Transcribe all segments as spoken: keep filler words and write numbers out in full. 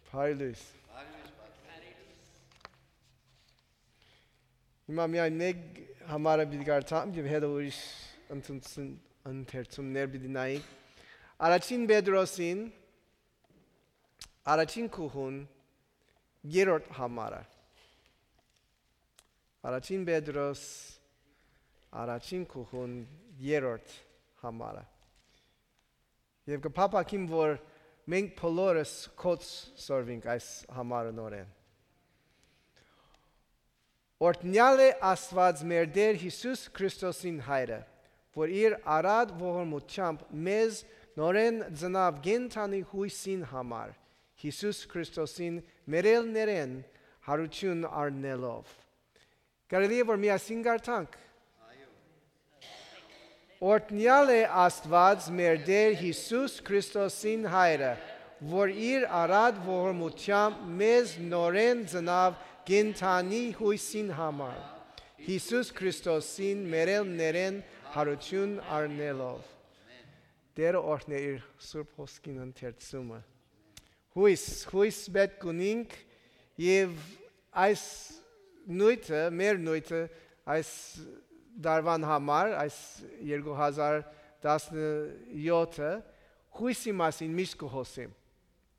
Բարի լույս։ Հիմա միայն մեկ համարը պիտի կարդամ եւ հետո ուրիշ ընդունցն-, ընթերցումներ պիտի նայենք։ Առաջին Պետրոսին, առաջին գլխուն, երրորդ համարը։ Առաջին Պետրոս, առաջին գլխուն, երրորդ համարը։ Եւ կը փափաքեմ, որ մենք բոլորս կոչ սորվենք այս համարը նորէն։ Օրհնեալ է Աստուած մեր Տէր Յիսուս Քրիստոսին Հայրը, որ իր առատ ողորմութեամբ մեզ նորէն ծնաւ կենդանի յոյսին համար, Յիսուս Քրիստոսին մեռելներէն յարութիւն առնելով։ Կարելի՞ է որ միասին կարդանք։ Օրհնեալ է Աստուած մեր Տէր Յիսուս Քրիստոսին Հայրը, որ իր առատ ողորմութեամբ մեզ նորէն ծնաւ կենդանի յոյսին համար, Յիսուս Քրիստոսին մեռելներէն յարութիւն առնելով։ Տէրը օրհնէ իր սուրբ հոսքին ընթերցումը։ Յոյս, յոյս պէտք ունինք եւ այս նոյթը, մեր նոյթը, այս տարուան համար, այս երկու հազար տասնեթը, յոյսի մասին միշտ կը հոսեմ։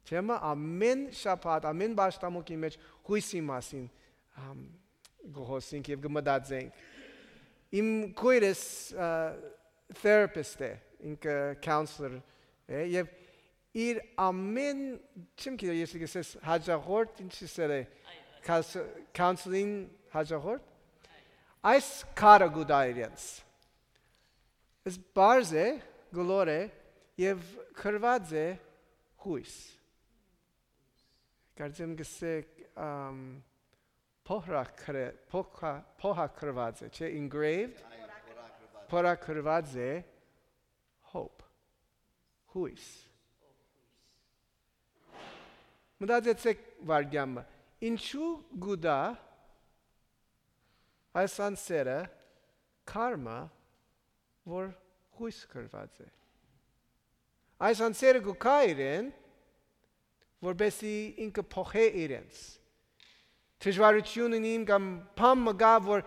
Չէ՞ մը, ամէն շաբաթ, ամէն պաշտամոկի մէջ յոյսի մասին, ամ, կը հոսենք եւ կը մտածենք։ Իմ քոյրս, ա, therapist է, ինքը counselor է, եւ իր ամէն, չեմ գիտեր, ես կսես հաճախորդ, ինչ սեր է, counsel-, counseling հաճախորդ, այս քարը կու տայ իրենց։ Ես պարզ է, գլոր է, եւ գրված է յոյս։ Կարծեմ կսեք, ամ, փոհրակրե-, փոքա-, փոհակրված է, չէ՞, engraved, փորագրված է hope, յոյս։ Մտածեցեք վարգյանը, ինչու գուտա այս անձերը քարմը, որ յոյս գրված է։ Այս անձերը կու գայ իրեն, որպեսզի ինքը փոխէ իրենց։ Դժվարություն ունին կամ բան մը կայ, որ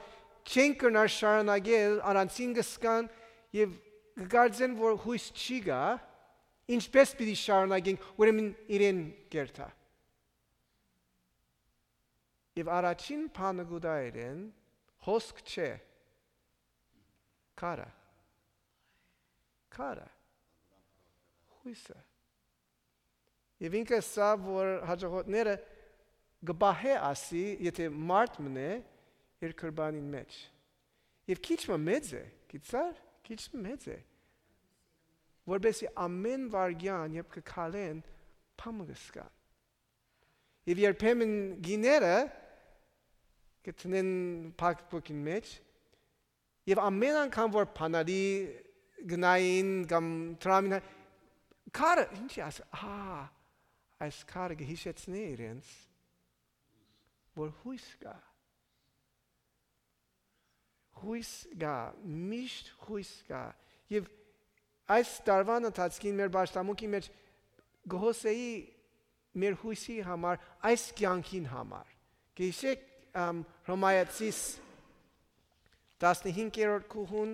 չեն կրնար շարունակել, առանցին կը զգան եւ կը կարծեն, որ յոյս չի գայ, ինչպէս պիտի շարունակենք, ուրեմն իրեն կերթայ։ Եւ առաջին բանը կու տայ իրեն, հոսք չէ, քարը։ Քարը։ Յոյսը։ Եւ ինքը ըսաւ, որ հաճախորդները կը պահէ ասի, եթէ մարդ մնէ իր գրպանին մէջ։ Եւ քիչ մը մեծ է, գիտցար, քիչ մը մեծ է, որպեսզի ամէն վարգեան, երբ կը քալեն, բան մը կը զգան։ Եւ երբեմն գիները կը տնեն փակ փոքին մէջ, եւ ամէն անգամ որ բանալի գնային կամ դրամին, քարը, ինչի՞ ասի, ահա, այս քարը կը յիշեցնէ իրենց, որ յոյս կայ։ Յոյս կայ, միշտ յոյս կայ։ Եւ այս տարուան ընթացքին մեր պաշտամունքի մէջ կը հոսեի մեր յոյսի համար, այս կեանքին համար։ Կը յիշեք, ամ, Հռոմայացիս տասնհինգերորդ գլխուն,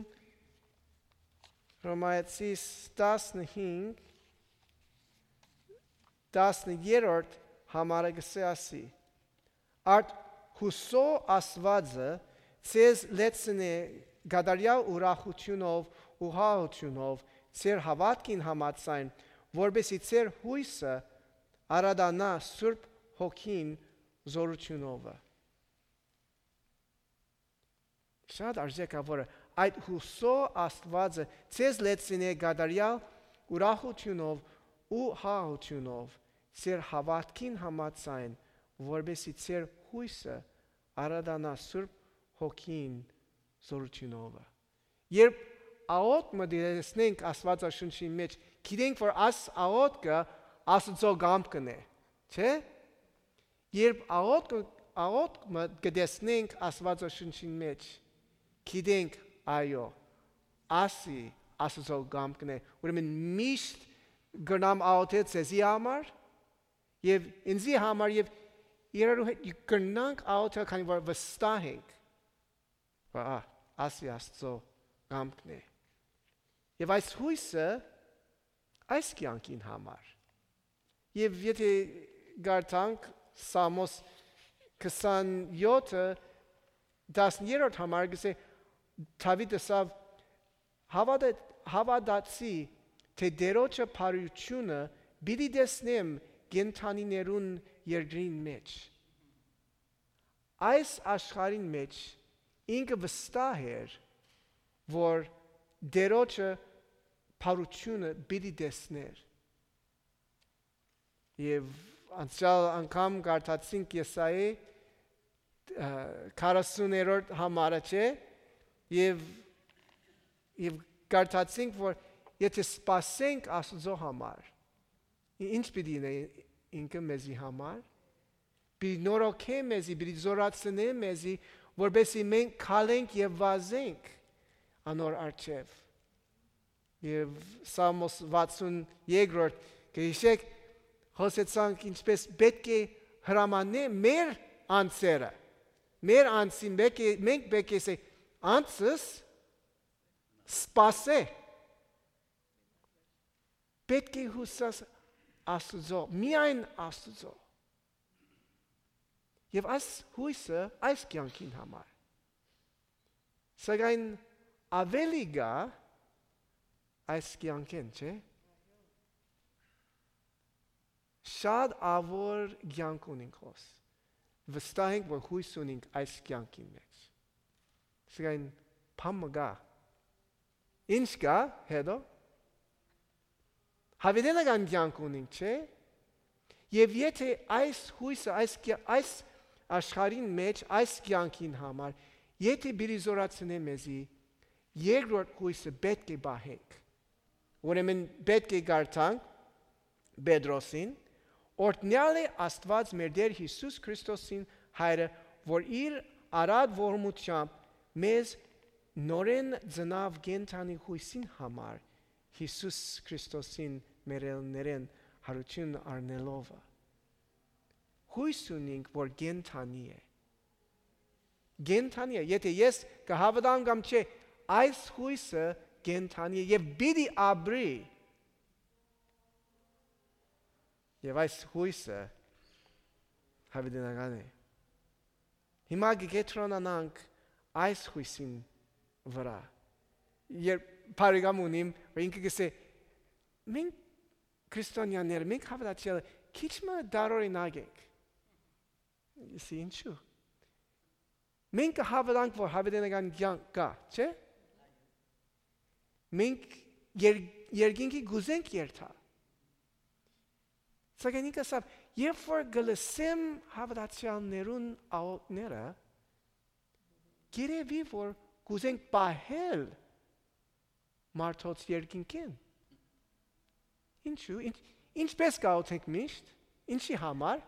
Հռոմայացիս տասնհինգ, տասներկերորդ համարը կսե ասի. «Արդ յուսոյ Աստուածը ձեզ լեցնէ կատարեալ ուրախութիւնով ու հաղթութիւնով ձեր հաւատքին համաձայն, որպեսզի ձեր յոյսը արատանայ Սուրբ Հոգին զօրութիւնովը»։ Շատ արժեքաւոր է։ «Այդ յուսոյ Աստուածը ձեզ լեցնէ կատարեալ ուրախութիւնով ու հաղթութիւնով ձեր հաւատքին համաձայն, որպեսզի ձեր յոյսը արատանայ Սուրբ Հոգին զօրութիւնովը»։ Երբ աղօթք մը տեսնենք Աստուածաշունչին մէջ, գիտենք, որ աս աղօթքը Աստուծոյ կամքն է, չէ՞։ Երբ աղօթքը, աղօթքը կը տեսնենք Աստուածաշունչին մէջ, գիտենք, այո, ասի Աստուծոյ կամքն է, ուրեմն միշտ կրնամ աղօթել ձեզի համար, Եւ ինծի համար եւ իրարու հետ կրնանք աղոթել, քանի որ վստահ ենք, որ, ա, ասի Աստծո կամքն է։ Եւ այս հոյսը այս կեանքին համար։ Եւ եթե գարտանք Սամոս քսանեօթը, տասներորդ համար, կսե, Դաւիթ ըսաւ, «Հաւատա-, հաւատացի, թէ Տէրոջը բարութիւնը պիտի տեսնեմ կենդանիներուն երկրին մէջ»։ Այս աշխարհին մէջ ինքը վստահ էր, որ Տէրոջը բարութիւնը պիտի տեսներ։ Եւ անցեալ անգամ կարդացինք Եսայի, ը, քառասուներորդ համարը, չէ՞, եւ, եւ կարդացինք, որ եթե սպասենք Աստուծոյ համար, ի-, ի՞նչ պիտի ընէ ինքը մեզի համար։ Պիտի նորոգէ մեզի, պիտի զօրացնէ մեզի, որպեսզի մենք քալենք եւ վազենք անոր առջեւ։ Եւ Սամոս վաթսուն երկրորդ, կը յիշեք, խօսեցանք ինչպէս պէտք է հրամաննէ մեր անձերը, մեր անձին պէտք է, մենք պէտք է սե անձս սպասե, պէտք է հուսաս Աստուծոյ, միայն Աստուծոյ։ Եւ այս հոյսը այս կեանքին համար։ Սակայն աւելի գայ այս կեանքէն, չէ՞։ Շատ ավոր կեանք ունինք հոս։ Վստահ ենք, որ հոյս ունինք այս կեանքին մէջ։ Սակայն բան մը կայ։ Ի՞նչ կայ հետո։ Յաւիտենական կեանք ունինք, չէ՞։ Եւ եթե այս հոյսը, այս կե-, այս աշխարհին մէջ, այս կեանքին համար, եթե պիտի զօրացնէ մեզի, երկրորդ հոյսը պէտք է պահենք։ Ուրեմն պէտք է կարդանք Պետրոսին, «Օրհնեալ է Աստուած մեր Տէր Յիսուս Քրիստոսին Հայրը, որ իր առատ ողորմութեամբ մեզ նորէն ծնաւ կենդանի հոյսին համար, Յիսուս Քրիստոսին մեռելներէն յարութիւն առնելովը»։ Հոյս ունինք, որ կենդանի է։ Կենդանի է։ Եթե ես կը հաւատամ կամ չէ, այս հոյսը կենդանի է եւ պիտի ապրի։ Եւ այս հոյսը յաւիտենական է։ Հիմա կը կեդրոնանանք այս հոյսին վրայ։ Երբ բարեկամ ունիմ, որ ինքը կ'ըսէ, «Մենք քրիստոնյաները, մենք հաւատացյալը, քիչ մը տարօրինակ ենք»։ Ըսի, ինչու՞։ Մենք կը հաւատանք, որ յաւիտենական կեանք կայ, չէ՞։ Մենք եր-, երկինքի կ'ուզենք երթալ։ Սակայն ինքը ասաւ, երբ որ կը լսեմ հաւատացյալներուն աղօթքները, գերեւի որ կ'ուզենք պահել մարդոց երկինքէն։ Ինչու՞, ինչ-, ինչպես կ'աղօթենք միշտ, ինչի համար։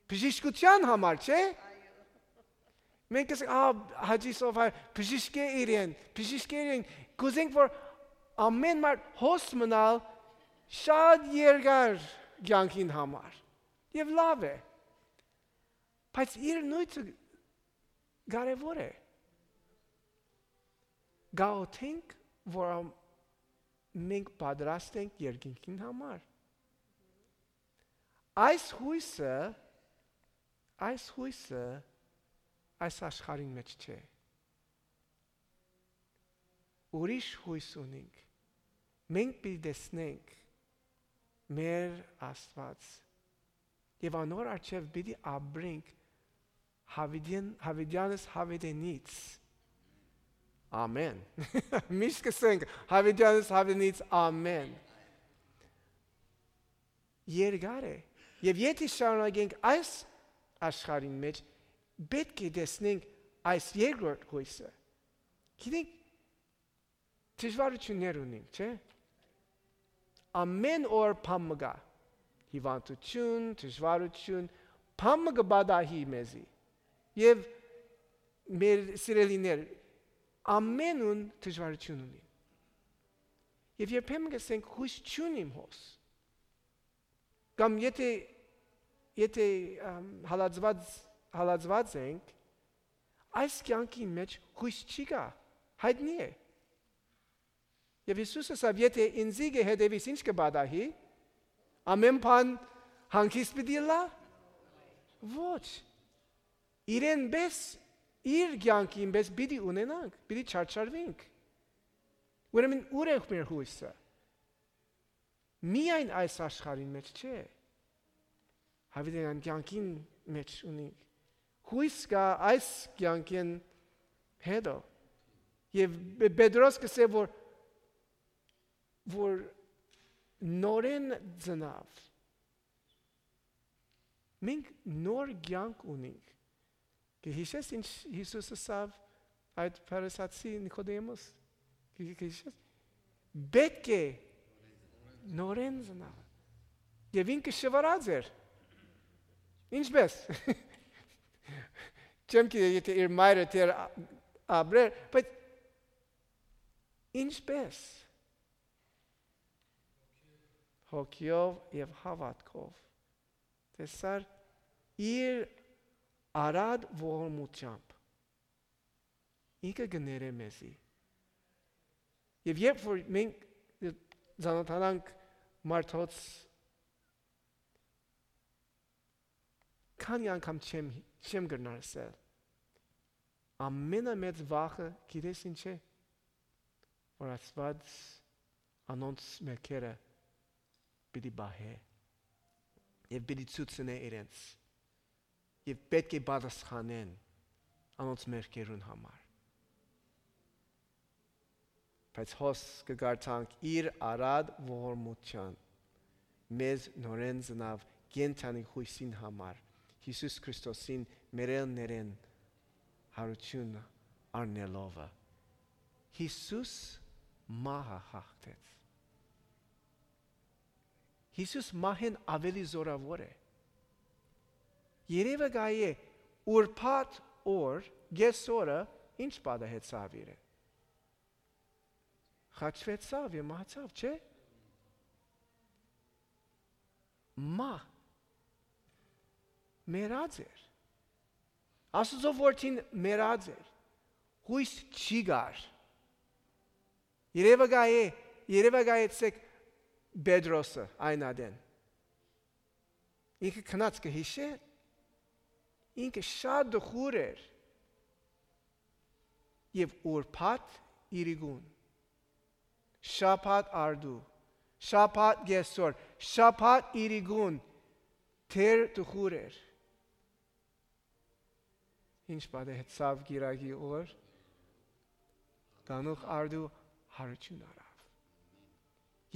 Բժշկութեան համար, չէ՞։ Մենք կ'ըսենք, «Ա, Հաճի Սովհար, բժիշկէ իրեն, բժիշկէ իրեն»։ Կ'ուզենք, որ ամէն մարդ հոս մնալ շատ երկար կեանքին համար։ Եւ լաւ է։ Բայց իր նոյթը կարեւոր է։ Կ'աղօթենք, որ ամ-, մենք պատրաստ ենք երկինքին համար։ Այս հոյսը, այս հոյսը այս աշխարհին մէջ չէ։ Ուրիշ հոյս ունինք։ Մենք պիտի տեսնենք մեր Աստուած եւ անոր առջեւ պիտի ապրենք Յաւիտեան-, Յաւիտեանս Յաւիտենից։ Ամեն։ Միշտ կ'ըսենք, Յաւիտեանս Յաւիտենից, ամեն։ Երկար է։ Եւ եթե շարունակենք այս աշխարհին մէջ, պէտք է տեսնենք այս երկրորդ հոյսը։ Գիտենք, դժվարութիւններ ունենք, չէ՞։ Ամեն օր բան մը կայ։ Հիւանդութիւն, դժվարութիւն, բան մը կը պատահի մեզի։ Եւ մեր սիրելիներ, ամենուն դժվարութիւն ունին։ Եւ երբեմն կ'ըսենք, «Հոյս չունիմ հոս»։ Կամ եթէ, եթէ, ըմ, հալածուած, հալածուած ենք, այս կեանքին մէջ յոյս չի գա, յայտնի է։ Եւ Յիսուս ըսաւ. «Եթէ ինծի կը հետեւիս, ի՞նչ կը պատահի։ Ամէն բան հանգիստ պիտի ըլլա»։ Ոչ։ Իրեն պէս, իր կեանքին պէս պիտի ունենանք, պիտի չարչարուինք։ Ուրեմն ո՞ւր է մեր յոյսը։ Միայն այս աշխարհին մէջ չէ։ Յաւիտենական կեանքին մէջ ունինք։ Յոյս կայ այս կեանքէն հետո։ Եւ Պե-, Պետրոս կ'ըսէ, որ, որ նորէն ծնաւ։ Մենք նոր կեանք ունինք։ Կը յիշես ինչ Յիսուս ըսաւ այդ Փարիսացի Նիկոդեմոս։ Կը, կը յիշես։ Պէտք է նորէն ծնալ։ Եւ ինքը շվարած էր։ Ինչպէս։ Չեմ գիտեր, եթէ իր մայրը դեռ ա-, ապրեր, բայց ինչպէս։ Հոգիով եւ հաւատքով։ Տեսար, իր արատ ողորմութեամբ ինքը կը ներէ մեզի։ Եւ երբ որ մենք ծանոթանանք մարդոց, քանի անգամ չեմ, չեմ կրնար ըսել, ամենամեծ վախը գիտես ինչ է, որ Աստուած անոնց մեղքերը պիտի պահէ եւ պիտի ցուցնէ իրենց, եւ պէտք է պատասխանեն անոնց մեղքերուն համար։ Բայց հոս կը կարդանք. «Իր արատ ողորմութեան մեզ նորէն ծնաւ կենդանի յոյսին համար, Յիսուս Քրիստոսին մեռելներէն յարութիւն առնելովը»։ Յիսուս մահը հաղթեց։ Յիսուս մահէն աւելի զօրաւոր է։ Երեւակայ է, ուրբաթ օր, կէս օրը, ինչ պատահեցաւ իրեն։ Խաչուեցաւ եւ մահացաւ, չէ՞։ Մահ մեռած էր։ Աստուծոյ որդին մեռած էր։ Յոյս չի գար։ Երեւակայ է, երեւակայեցէք Պետրոսը այն ատեն։ Ինքը քնած կը յիշէ, ինքը շատ տխուր էր։ Եւ ուրբաթ իրիկուն, շաբաթ արդու, շաբաթ կէս օր, շաբաթ իրիկուն դեռ տխուր էր։ Ինչ պատահեցաւ կիրակի օր, կանուխ արդու յարութիւն առաւ։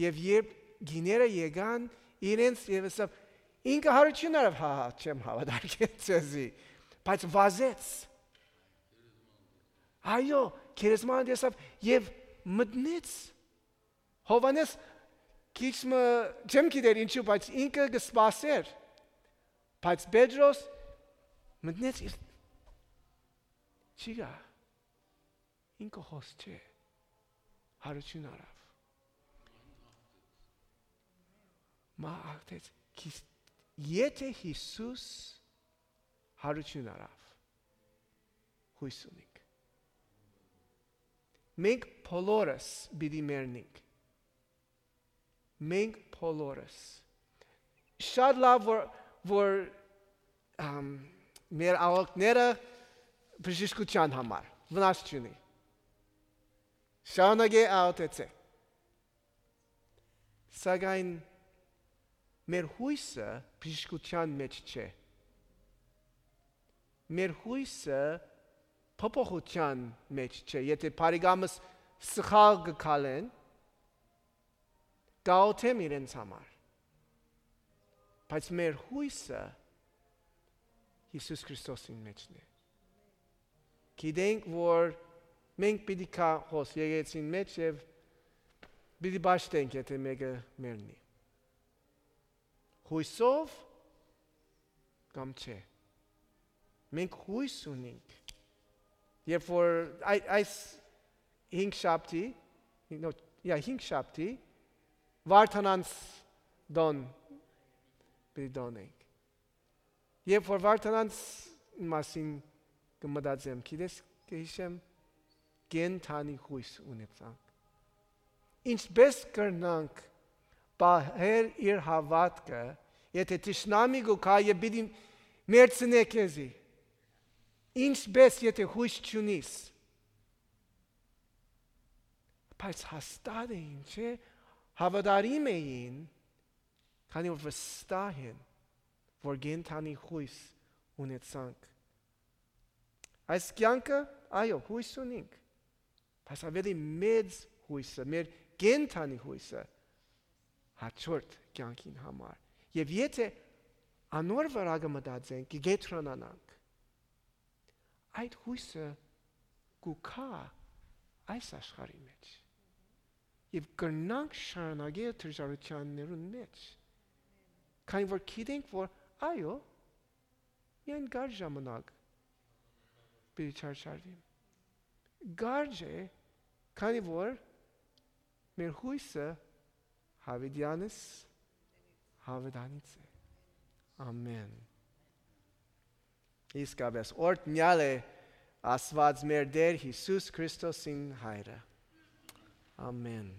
Եւ երբ գիները եկան, իրենց եւ ըսաւ, ինքը յարութիւն առաւ, հա, հա, չեմ հաւատարկել ձեզի, բայց վազեց։ Այո, գերեզմանը տեսաւ եւ մտնեց։ Յովհաննէս քիչ մը, չեմ գիտեր ինչու, բայց ինքը կը սպասէր։ Բայց Պետրոս մտնեց իր, չի գա, ինքը հոս չէ, յարութիւն առաւ։ Մահ հաղթեց։ Քիս-, եթէ Յիսուս յարութիւն առաւ, յոյս ունինք։ Մենք բոլորս պիտի մեռնենք։ Մենք բոլորս։ Շատ լավ որ, որ, ամ, մեր աղօթքները բժշկութեան համար վնաս չունի։ Շարունակէ աղօթեցէ։ Սակայն մեր յոյսը բժշկութեան մէջ չէ։ Մեր յոյսը փոփոխութեան մէջ չէ։ Եթէ բարեկամս սխալ կը քալեն, կաղօթեմ իրենց համար։ Բայց մեր յոյսը Յիսուս Քրիստոսին մէջն է։ Գիտենք, որ մենք պիտի գանք հոս եկեղեցին մէջ եւ պիտի պաշտենք, եթէ մէկը մեռնի։ Յոյսով կամ չէ։ Մենք յոյս ունինք։ Երբ որ այ-, այս հինգ շաբթի, no, yeah, հինգ շաբթի, Վարդանանց տոն պիտի տոնենք։ Երբ որ Վարդանանց մասին կը մտածեմ, գիտես, կը յիշեմ, կենդանի յոյս ունեցանք։ Ինչպէս կրնանք պահել իր հաւատքը, եթե թշնամի կու գայ եւ պիտի մերցնէ քեզի։ Ինչպէս, եթե յոյս չունիս։ Բայց հաստատ է, ինչ է, հաւատարիմ էին, քանի որ վստահ են, որ կենդանի յոյս ունեցանք։ Այս կեանքը, այո, յոյս ունինք, բայց ավելի մեծ յոյսը, մեր կենդանի յոյսը, հաջորդ կեանքին համար։ Եւ եթե անոր վրայ կը մտածենք, կը կեդրոնանանք, այդ յոյսը կու գայ այս աշխարհի մէջ։ Եւ կրնանք շարունակել դժուարութիւններուն մէջ։ Քանի որ գիտենք, որ այո, միայն կար ժամանակ պիտի չարչարվի։ Կարճ է, քանի որ մեր յոյսը յաւիտեանս յաւիտանից է։ Ամեն։ Իսկապէս, օրհնեալ է Աստուած մեր Տէր Յիսուս Քրիստոսին Հայրը։ Ամեն։